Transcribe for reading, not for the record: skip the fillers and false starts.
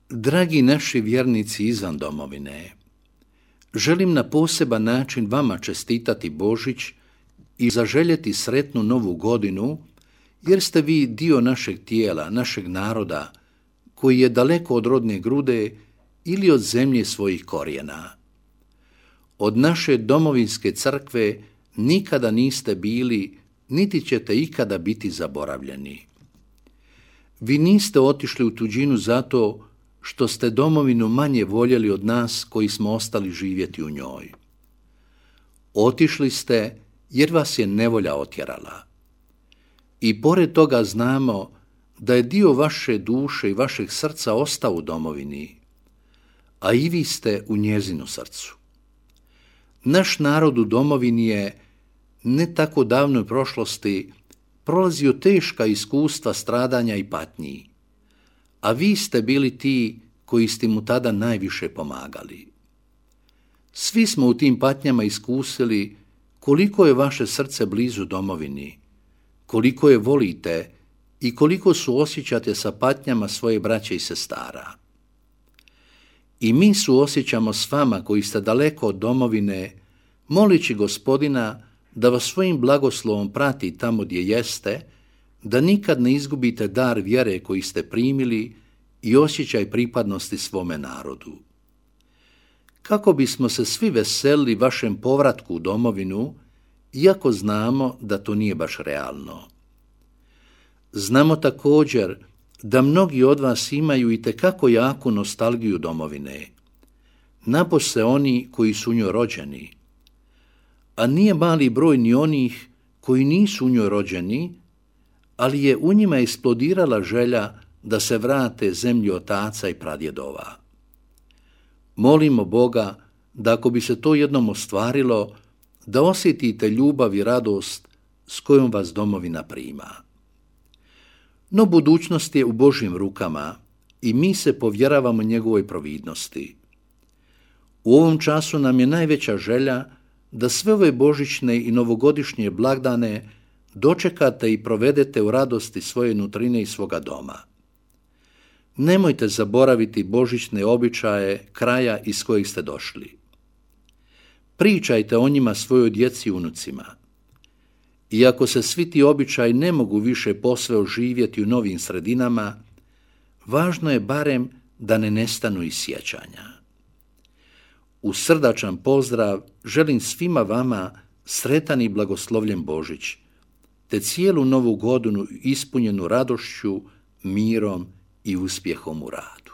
Dragi naši vjernici izvan domovine, želim na poseban način vama čestitati Božić i zaželjeti sretnu novu godinu, jer ste vi dio našeg tijela, našeg naroda, koji je daleko od rodne grude ili od zemlje svojih korijena. Od naše domovinske crkve nikada niste bili, niti ćete ikada biti zaboravljeni. Vi niste otišli u tuđinu zato što ste domovinu manje voljeli od nas koji smo ostali živjeti u njoj. Otišli ste jer vas je nevolja otjerala. I pored toga znamo da je dio vaše duše i vašeg srca ostao u domovini, a i vi ste u njezinu srcu. Naš narod u domovini je, ne tako davnoj prošlosti, prolazio teška iskustva stradanja i patnji, a vi ste bili ti koji ste mu tada najviše pomagali. Svi smo u tim patnjama iskusili koliko je vaše srce blizu domovini, koliko je volite i koliko suosjećate sa patnjama svoje braće i sestara. I mi suosjećamo s vama koji ste daleko od domovine, molići Gospodina da vas svojim blagoslovom prati tamo gdje jeste, da nikad ne izgubite dar vjere koji ste primili i osjećaj pripadnosti svome narodu. Kako bismo se svi veselili vašem povratku u domovinu, iako znamo da to nije baš realno. Znamo također da mnogi od vas imaju itekako jaku nostalgiju domovine, napose oni koji su u njoj rođeni, a nije mali broj ni onih koji nisu u njoj rođeni, ali je u njima eksplodirala želja da se vrate zemlji otaca i pradjedova. Molimo Boga da ako bi se to jednom ostvarilo, da osjetite ljubav i radost s kojom vas domovina prima. No budućnost je u Božjim rukama i mi se povjeravamo njegovoj providnosti. U ovom času nam je najveća želja da sve ove božićne i novogodišnje blagdane dočekate i provedete u radosti svoje nutrine i svoga doma. Nemojte zaboraviti božićne običaje kraja iz kojih ste došli. Pričajte o njima svojoj djeci i unucima. Iako se svi ti običaji ne mogu više posve oživjeti u novim sredinama, važno je barem da ne nestanu iz sjećanja. U srdačan pozdrav želim svima vama sretan i blagoslovljen Božić, te cijelu novu godinu ispunjenu radošću, mirom i uspjehom u radu.